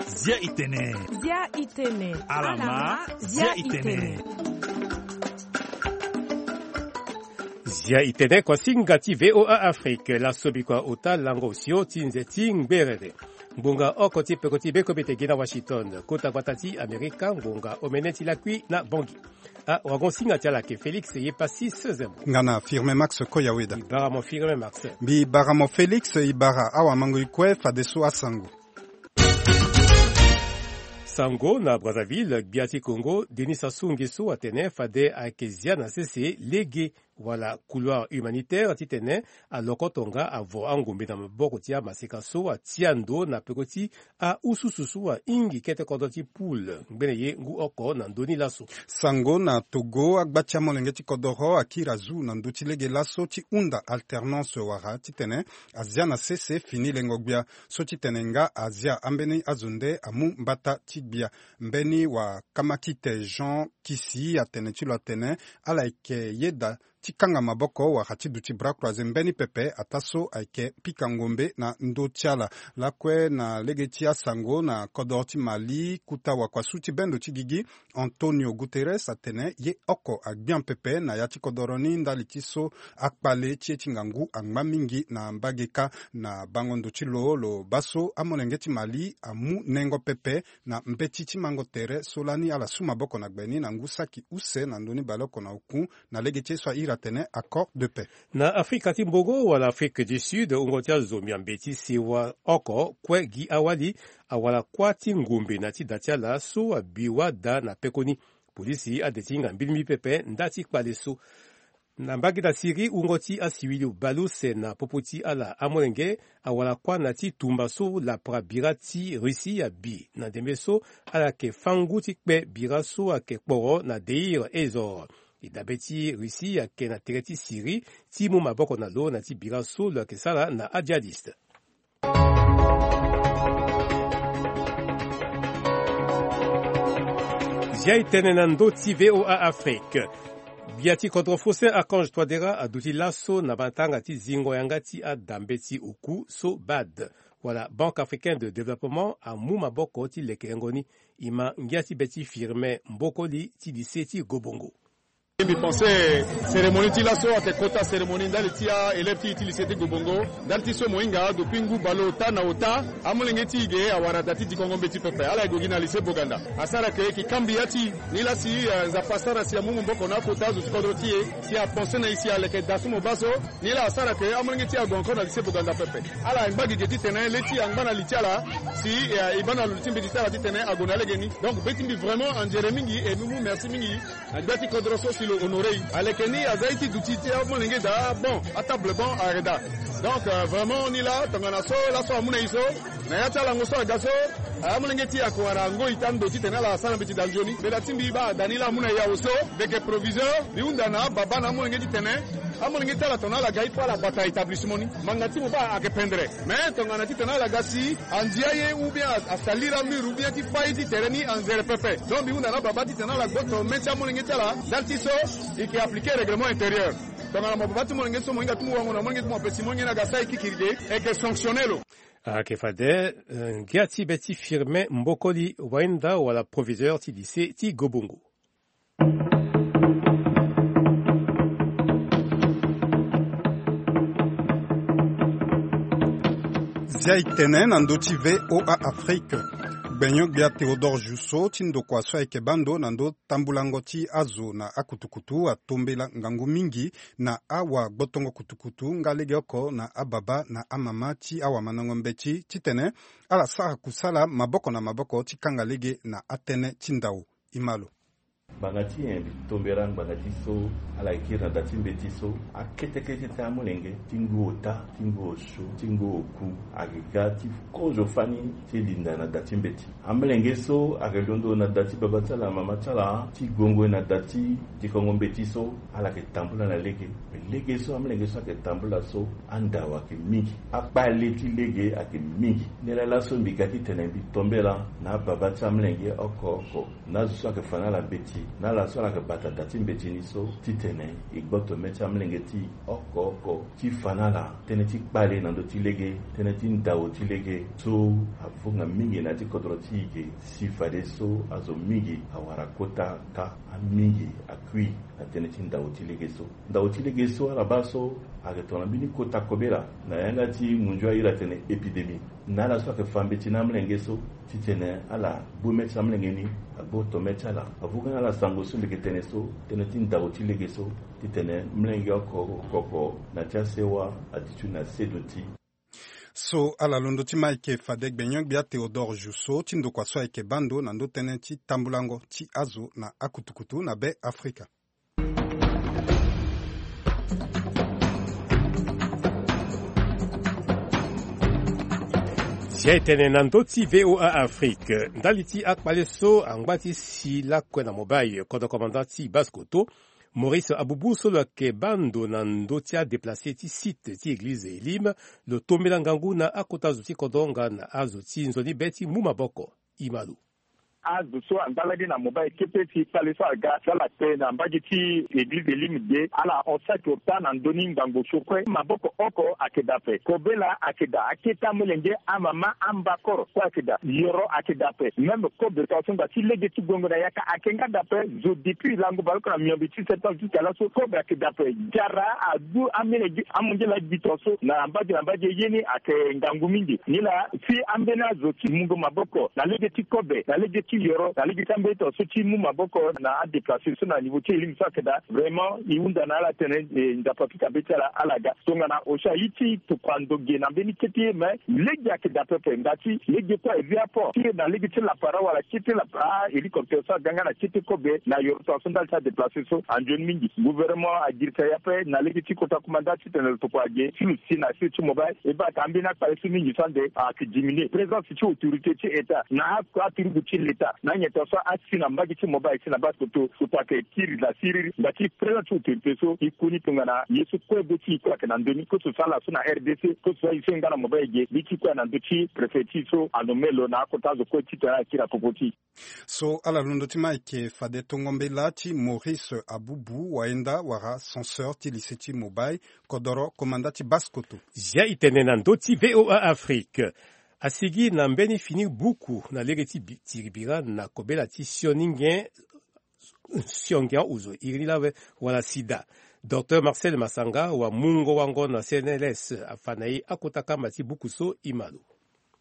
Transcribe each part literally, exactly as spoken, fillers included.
Zia itene. Zia itene. Alama, zia itene. Zia itene kuasinga ti V O A Afrique, laso bikua ota lango osio ti nze ti ngberere. Ngbonga oko ti peko ti bekobe te gi na Washington, kota gbata ti Amerika, ngonga omene ti lakui na Bangui. Ah, wagon singa ti ala ke Félix ye pasi sezemo. Nga na Firmin Max Koyaweda. I bara mo Firmin Max. Mbi bara mo Félix, i bara awamango i kue fadeso asango. Sango na Brazzaville, gbia ti Congo, Denis Sassou Nguesso atene fade ayeke zia na sese lege wala couloir humanitaire titene alokoto nga avo angombe na maboko ti amaseka so atia ndo na peko ti aususu so ahingi kete kodro ti poule ngbene ye ngu oko na ndö ni laso. Sango na Togo, agba ti amolenge ti kodoro akiri azu na ndö ti lege laso ti hunda alternance wala titene azia na sese fini lengo gbia so titene nga azia ambeni azo nde amu mbata ti gbia. Mbeni wakamaki te Jean Kisi atene ti lo atene ala yeke yeda ti kanga maboko wala ti duti bras croisé mbeni pepe ataa so ayeke pika ngombe na ndö ti ala. Lakue na lege ti asango na kodoro ti Mali, kuta wakuasu ti bendo ti gigi Antonio Guterres atene ye oko agbia pepe na ya ti kodoro ni ndali ti so akpale ti ye ti ngangu angba mingi na mbage kâ. Na bango ndo ti lo, lo baa so amolenge ti Mali amu nengo pepe na mbeti ti mango tere so lani ala su maboko na gbe ni na ngu saki use na ndö ni baleoko na oku na lege ti ye so ahiri atene accord de paix. Na Afrika ti Mbongo wala Afrique du Sud, wungo ti azo miambe ti sewa oko kue gi awali awara kuâ ti ngombe na ti da ti ala so abi wada na pekoni. Polisi ade ti hinga mbilimbili pepe nda ti kpale so. Na mbage na Syrie, wungo ti asiwili bale use na popo ti ala amolenge awara kuâ na ti tumba so lapara bira ti Russie abi na ndembe so ala yeke fâ ngu ti kpe bira so ayeke kporo na Deir ez-Zor. E dabe ti Russie ayeke na tere ti Syrie ti mu maboko na lo na ti bira so lo yeke sara na ajihadiste. Zia itene na ndö ti V O A Afrique. Gbia ti kodro Faustin Archange Touadéra aduti laso na matanga ti zingo yanga ti adambe ti oku so BAD wala Banque Africaine de Développement amu maboko ti lekerengo ni. E ma ngia ti be ti Firmin Mbokoli ti lycée ti Gobongo. Mbi pense cérémonie ti laso ayeke kota cérémonie ndali ti aélève ti e ti lycée ti Gobongo. Ndali ti so mo hinga depuis ngu baleota na ota, amolenge ti e ge awara da ti dikongo mbeti pepe. Ala ye gue gi na lycée Boganda. Asara ke e ke kambi ya ti e. Nilaa si, eh, Nzapa asara si amu maboko na akota azo ti kodro ti e, si apense na e si aleke da so mo baa so. Nilaa asara ke amolenge ti e ague encore na lycée Boganda pepe. Ala ngba gigi titene le ti e angba na li ti ala si, eh, e baa na lo ti mbeti ti ala titene ague na legeni. Donc be ti mbi vraiment anzere mingi et mbi mu merci mingi. Na gbia ti kodro so si lo honoré e. Aleke ni aza ye ti duti ti amolenge daa, bon, atable bon ayeke daa. Donc, euh, vraiment ni laa tongana so laso amu na e so, na ya ti alango so aga so, amolenge ti e ayeke wara ngoi ti ando titene ala sara mbeti daa nzoni. Mbela ti mbi baa da ni laa amu na e awe so. Mbi yeke proviseur, mbi hunda na ababa na amolenge titene amolenge ti ala tongana ala ga il faut ala bata établissement ni. Ngbanga ti mo baa ayeke pendere. Mais tongana titene ala ga si andia ye ou bien a, asali la mur ou bien ti fâ ye ti tere ni anzere pepe. Donc mbi hunda na ababa titene ala gboto me ti amolenge ti ala ndali ti so e ke appliquer règlement intérieur. Tongana mo baba ti molenge so mo hinga ti mo wango na molenge ti mo ape si molenge ni aga sara ye kikiri ge, e ke sanctionner lo. Ayeke fade, eh, ngia ti be ti Firmin Mbokoli Wainda wala proviseur ti lycée ti Gobongo. Zia itene na ndö ti V O A Afrique. Gbenyo-gbia Théodore Jousseau ti ndokua so ayeke baa ndo na ndö tambulango ti azo na akutukutu atombela ngangu mingi na awagbotongo kutukutu nga legeoko na ababa na amama ti awamandango mbeti titene ala sara kusala maboko na maboko ti kanga lege na atënë ti ndau. E ma lo. Ngbanga ti nyen mbi tombela ngbanga ti so ala yeke kiri na da ti mbeti so? Akete kete ti amolenge ti ngu ota, ti ngu osio, ti ngu oku ayeke ga ti kozo fani ti linda na da ti mbeti. Amolenge so ayeke londo na da ti baba ti ala, mama ti ala, ti gue ngoi na da ti dikongo mbeti so, ala yeke tambula na lege. Me lege so amolenge so ayeke tambula so, andau ayeke mingi. Akpale ti lege ayeke mingi. Nilaa laso mbi ga titene mbi tombela na ababa ti amolenge oko oko. Na azo so ayeke fa na ala mbeti, Na ala so ala yeke bata da ti mbeti ni so titene e gboto mê ti amolenge ti e oko oko ti fa na ala tënë ti kpale na ndö ti lege, tënë ti ndau ti lege so avunga mingi na ya ti kodro ti e ge. Si fadeso azo mingi awara kota kâ, amingi akui na tënë ti ndau ti lege so. Ndau ti lege so ala baa so ayeke tongana mbeni kota kobela na yanga ti munzu airi atene épidémie. Na ala so ayeke fa mbeti na amolenge so titene ala gbu mê ti amolenge ni, agboto mê ti ala. Avuka na ala sango so mbi yeke tene so tënë ti ndau ti lege so titene molenge oko oko na ti asewa adi ti na seduti. So ala londo ti ma eke fade gbenyo-gbia Théodore Jousseau ti ndokua so ayeke baa ndo na ndö tënë ti tambulango ti azo na akutukutu na Be Afrika. Zia e tene na ndö ti V O A Afrique, ndali ti akpale so angba ti si lakue na mobile, kodro commandant ti Basse-Kotto, Maurice Abubu so lo yeke baa ndo na ndö ti adeplace ti site ti église Elim, lo tombela ngangu na akota zo ti kodro nga na azo ti nzoni be ti mu maboko. Imalo. Azo so angba lani na mobile kete si kpale so aga so ala kpe na mbage ti église Elim ge, ala hon saki ota na ndö ni ngangu so kue. Maboko oko ayeke daa ape, kobela ayeke daa, akete amolenge, amama, ambakoro kue ayeke daa, yoro ayeke daa ape. Même kobe tongaso ngba ti lege ti gongo na yaka ayeke nga daa ape. Zo depuis lango baleoko na miombe ti septembre jusqu'à laso kobe ayeke daa ape. Jara adu amolenge, amongela gbi tongaso na mbage na mbage ye ni ayeke ngangu mingi. Nilaa si ambeni azo ti mungo maboko na lege ti kobe, na lege ti yoro, na lege ti ambeni tongaso ti mu maboko na adeplace so na niveau ti Elim so ayeke daa. Vraiment e hunda na ala tene, eh, Nzapa apika be ti ala, ala ga. Tongana osio aye ti tokua ndo ge na mbeni kete ye, me lege ayeke daa pepe. Nga ti lege kue aye vi apo ti na lege ti lapara wala kete lapara, ah, hélicoptère so aga nga na kete kobe na yoro tongaso ndali ti adeplace so anzoni mingi. Gouvernement agirisa ye ape na lege ti kota kumanda titene lo tokua ge ti lo si na sio ti mobile. E baa ka ambeni akpale so mingi so ande ayeke diminuer. Présence ti autorité ti État na a, aturugu ti l'État na anyen tongaso asi na mbage ti mobile si na Basse-Kotto, lo tokua ayeke kiri la siriri. Nga ti présence ti autorité so e koni tongana ye so kue be ti e kue ayeke na ndö ni, que ce soit laso na R D C, que ce soit ye so e nga na mobile ge, mbi ti kue na ndö ti préfet ti e so anommé lo na akota azo kue titene ala kiri na popo ti e. So ala londo ti ma ayeke fade tongo mbela ti Maurice Abubu, wayenda wala censeur ti lycée ti mobile, kodoro komanda ti Basse-Kotto. Zia e tene na ndö ti V O A Afrique. Asigi na mbeni fini buku na lege ti bi-, tiri bira na kobela ti sioni nge, sioni nge ozo iri ni lawe wala sida. Docteur Marcel Masanga, wamungo-wango na C N L S, afa na e akota kamba ti buku so. Imalo.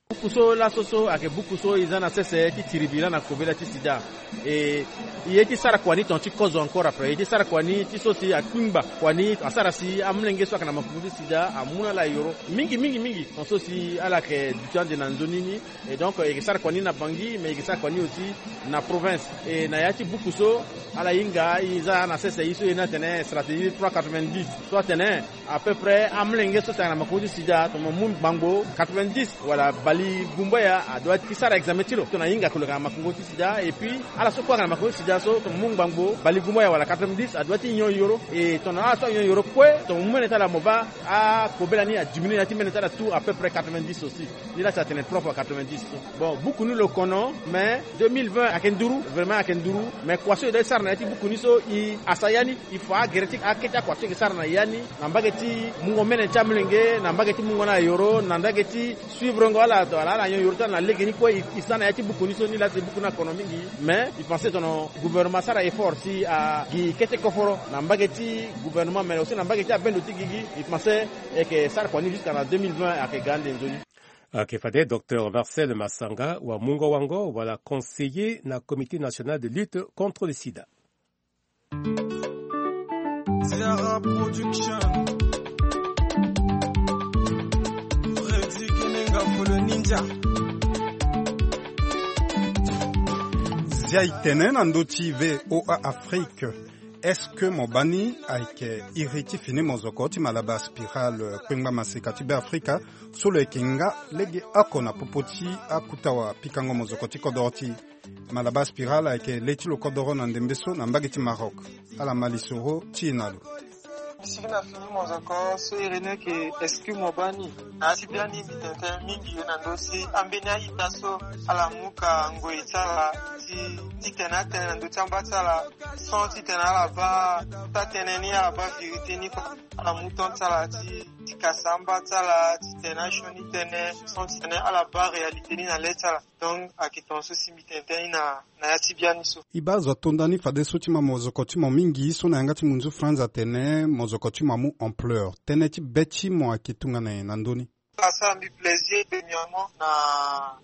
Buku so laso so ayeke buku so e za na sese ti tiri bira na kobela ti sida. E, e ye ti sara kua ni tonga ti kozo encore après. E ye ti sara kua ni ti so si akpingba kua ni asara si amolenge so ayeke na makongo ti sida amu na ala yoro mingi, mingi, mingi. Tonga so si ala yeke duti ande na nzoni ni. Et donc, e yeke sara kua ni na Bangui, mais e yeke sara kua ni aussi na province. Et na ya ti buku so, ala hinga, e za na sese, e so e na tene stratégie trois quatre-vingt-dix. So atene, à peu près, amolenge so si ayeke na makongo ti sida, tongana mo mu ngbangbo quatre-vingt-dix, wala bale gumbaya, adoit ti sara examen ti lo. Tongana ahinga ke lo yeke na makongo ti sida, et puis, ala so kue ayeke na makongo ti sida so, tongana mo mu ngbangbo, bale gumbaya, wala quatre-vingt-dix, adoit ti nyon yoro. Et tongana ala so anyon yoro kue, tongana mo mu mene ti ala mo baa, akobela ni adiminuer na ya ti mene ti ala tout à peu près quatre-vingt-dix aussi. Ni la si atene trois fois quatre-vingt-dix. Bon, buku ni lo kono, mais deux mille vingt ayeke nduru, vraiment ayeke nduru. Mais kua so e doit ti sara na ya ti buku ni so, e, asa ya ni, e fa agere ti akete akua so e yeke sara na ya ni, na mbage ti mungo mene ti amolenge, na mbage ti mungo na yoro, na mbage ti suivre ngo ala, ala, ala nyon yoro ti ala na lege ni kue, e, e sa na ya ti buku ni so. Ni la si buku ni akono mingi. Mais e pense tongana gouvernement asara effort si agi kete koforo na mbage ti gouvernement, mais aussi na mbage ti abendo ti gigi, e pense e yeke sara kua ni jusqu'à na deux mille vingt ayeke ga ande nzoni. Ayeke fade docteur Marcel Masanga, wamungo-wango wala conseiller na Comité national de lutte contre le sida. Zara Production. Freddy Kenenga pour le ninja. Zia e tene na ndö ti V O A Afrique. Est-ce que mo baa ni ayeke iri ti fini mozoko ti Malabar Spiral, kpengba maseka ti Beafrika, so lo yeke nga legeoko na popo ti akuta wapikango mozoko ti kodoro ti e? Malabar Spiral ayeke le ti lo kodoro na ndembe so na mbage ti Maroc. Ala ma lisoro ti e na lo. Sigi na fini mozoko so iri ni ayeke, est-ce que mo baa ni? Na ya ti biani mbi tene tënë mingi na ndö ti ambeni a-ita so ala mu ka ngoi ti ala ti, ti tene atënë na ndö ti amba ti ala, sans ti tene ala baa taa-tënë ni, ala baa vérité ni kua. Ala mu temps ti ala ti, ti kasa amba ti ala ti tene asioni tënë, sans ti tene ala baa réalité ni na le ti ala. Donc ayeke tongaso si mbi tene tënë ni na, na ya ti biani so. E baa azo ato ndani fadeso ti ma mozoko ti mo mingi so na yanga ti munzu France atene mozoko ti mo amu ampleur. Tënë ti be ti mo ayeke tongana nyen na ndö ni? Asara mbi plaisir dernièrement na,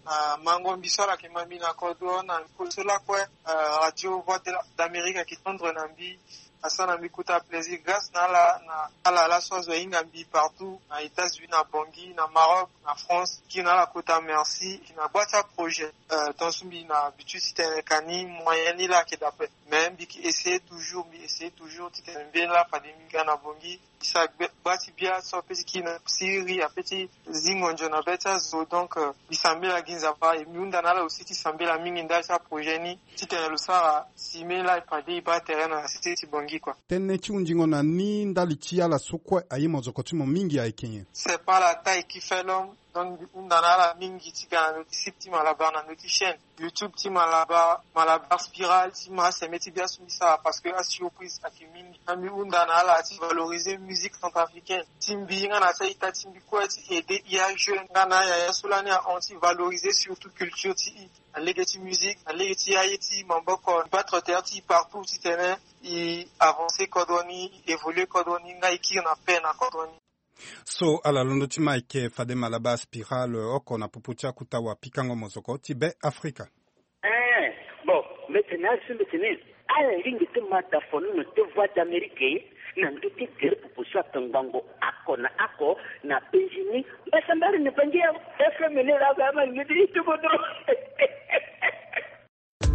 na mango mbi so ala yeke ma mbi na kodro na kolo so lakue, euh, Radio Voix de la, d'Amérique ayeke tendre na mbi. Asara na mbi kota plaisir grâce na ala, na ala laso azo ahinga mbi partout, na États-Unis, na Bangui, na Maroc, na France. Kiri na ala kota merci. Mbi na gba ti aprojet, euh, tongaso mbi na habitude ti tene ka ni moyen ni laa ayeke daa ape. Mais mbi yeke essayer toujours, mbi essayer toujours ti tene mbeni laa fade mbi ga na Bangui. Mbi sara gba ti bia so ape ti kiri na siriri, ape ti zingo nzoni na be ti azo. Donc, euh, mbi sambela gi Nzapa, e mbi hunda na ala aussi ti sambela mingi ndali ti aprojet ni, ti tene lo sara si mbeni laa e fade e baa tere na sese ti Bangui kua. Tënë ti hundingo na ni ndali ti ala so kue aye mozoko ti mo mingi ayeke nyen? C'est pas la taille qui fait l'homme. Donc mbi hunda na ala mingi ti ga na ndö ti site ti Malabar, na ndö ti chaîne YouTube ti Malabar, Malabar Spiral, ti ma aseme ti bia so mbi sara, parce que asurprise ayeke mingi. Na mbi hunda na ala ti valoriser musique centrafricaine ti mbi nga na ti a-ita ti mbi kue, ti aider e ajeune nga na ayaya so lani ahon ti valoriser surtout culture ti e na lege ti musique, na lege ti aye ti maboko, battre terre ti e partout ti tene e avancer kodro ni, e évoluer kodro ni, nga e kiri na paix na kodro ni. So ala londo ti ma ayeke fade Malabar Spiral oko na popo ti akota wapikango mozoko ti Be Afrika. Eh, bon, mbi tene azo mbi tene ala lingbi ti ma dafono na te Voix d'Amérique na ndö ti tere popo so atongbango oko na oko na penzi ni. Mbasambari ni bangi ya F M ni laa ba ma lingbi ti ti kodro.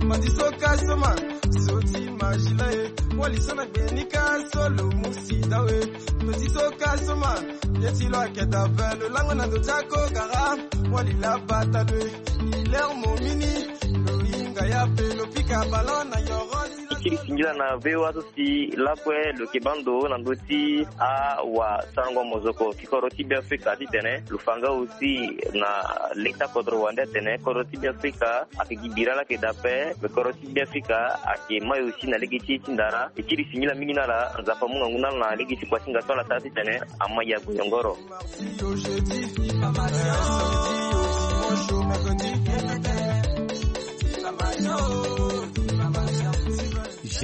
Madiso kasoma, soti majila e, wali sana gbenika solo musida we. Madiso kasoma, yeti lo akeda ve lo lango na ndo jako gara, wali la bata dwe. Iler momini, lo inga ya pe lo pika ballon na yoro. Ikiri singila na V O A so si lakue lo yeke baa ndo na ndö ti awasarango mozoko ti kodro ti Be Afrika ti tene lo fa nga aussi na leta kodro wande atene kodro ti Be Afrika ayeke gi bira laa ayeke daa ape, me kodro ti Be Afrika ayeke mai aussi na lege ti ye ti ndara. E kiri singila mingi na ala, Nzapa amu ngangu na ala na lege ti kuasinga so ala sara ti tene ama ya gue yongoro.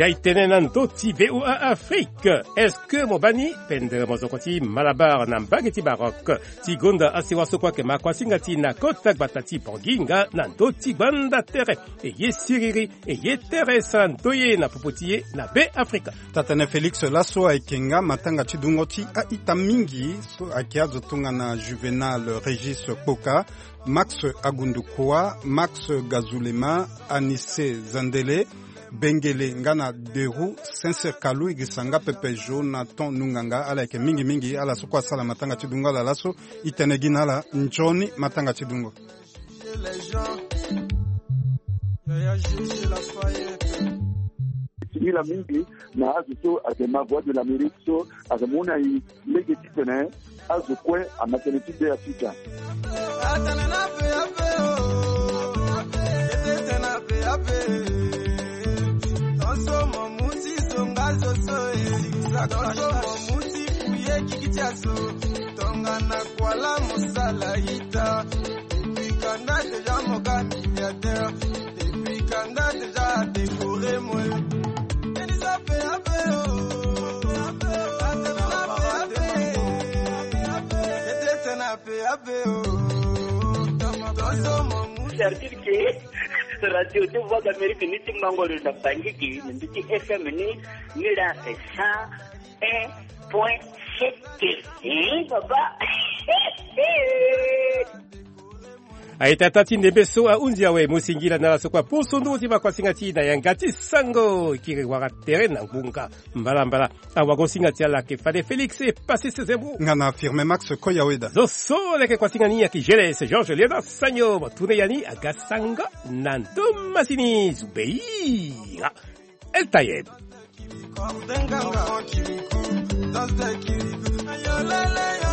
Jai tene na ndö ti V O A Afrique. Est-ce que mo baa ni? Pendere mozoko ti Malabar na mbage ti Maroc ti gonda asewa so kue ayeke ma kuasinga ti e na kota gbata ti Bangui nga na ndö ti gbanda tere. E ye siriri, e ye tere sara ndoye na popo ti e na Be Afrika. Taa-tënë Félix, laso ayeke nga matanga ti dungo ti a-ita mingi so ayeke azo tongana Juvénal Régis Kpoka, Max Agundukua, Max Gazulema, Anissé Zandele, Bengele nga na Derou, Sincère Kalou, e girisa nga pepe Jonathan Nunganga. Ala yeke mingi mingi ala so kue asara matanga ti dungo ala laso. E tene gi na ala nzoni matanga ti dungo. Singila mingi na azo so ayeke ma Voix de l'Amérique so ayeke mu na e lege ti tene azo kue ama tënë ti Be Afrika. Tongana Kuala mosala ita. Depuis quand déjà mo ga milliardaire? Depuis quand déjà décoré moi? Elisa pe ape o. Ape o. Ape o. Ape o. C'est-à-dire que Radio de Voix d'Amérique ni ti mango lo na Bangui, ni ti F M ni, ni la cent un point sept. Eh, papa. Aye tata ti ndembe so ahunzi awe, mo singila na ala so kue aposo nduru ti ma kuasinga ti na yanga ti sango. Kiri wara tere na ngbonga. Mbalambala. Awagosinga ti ala ayeke fade Félix e Passis Zembo. Nga na Firmin Max Koyaweda. Zo so leke kuasinga ni ayeke Geles Georges Léonard Sagno. Mo tune ya ni aga sango na ndo masini zubei. El Tayeb. Enfant kirikou, danse de kirikou. Ayolele,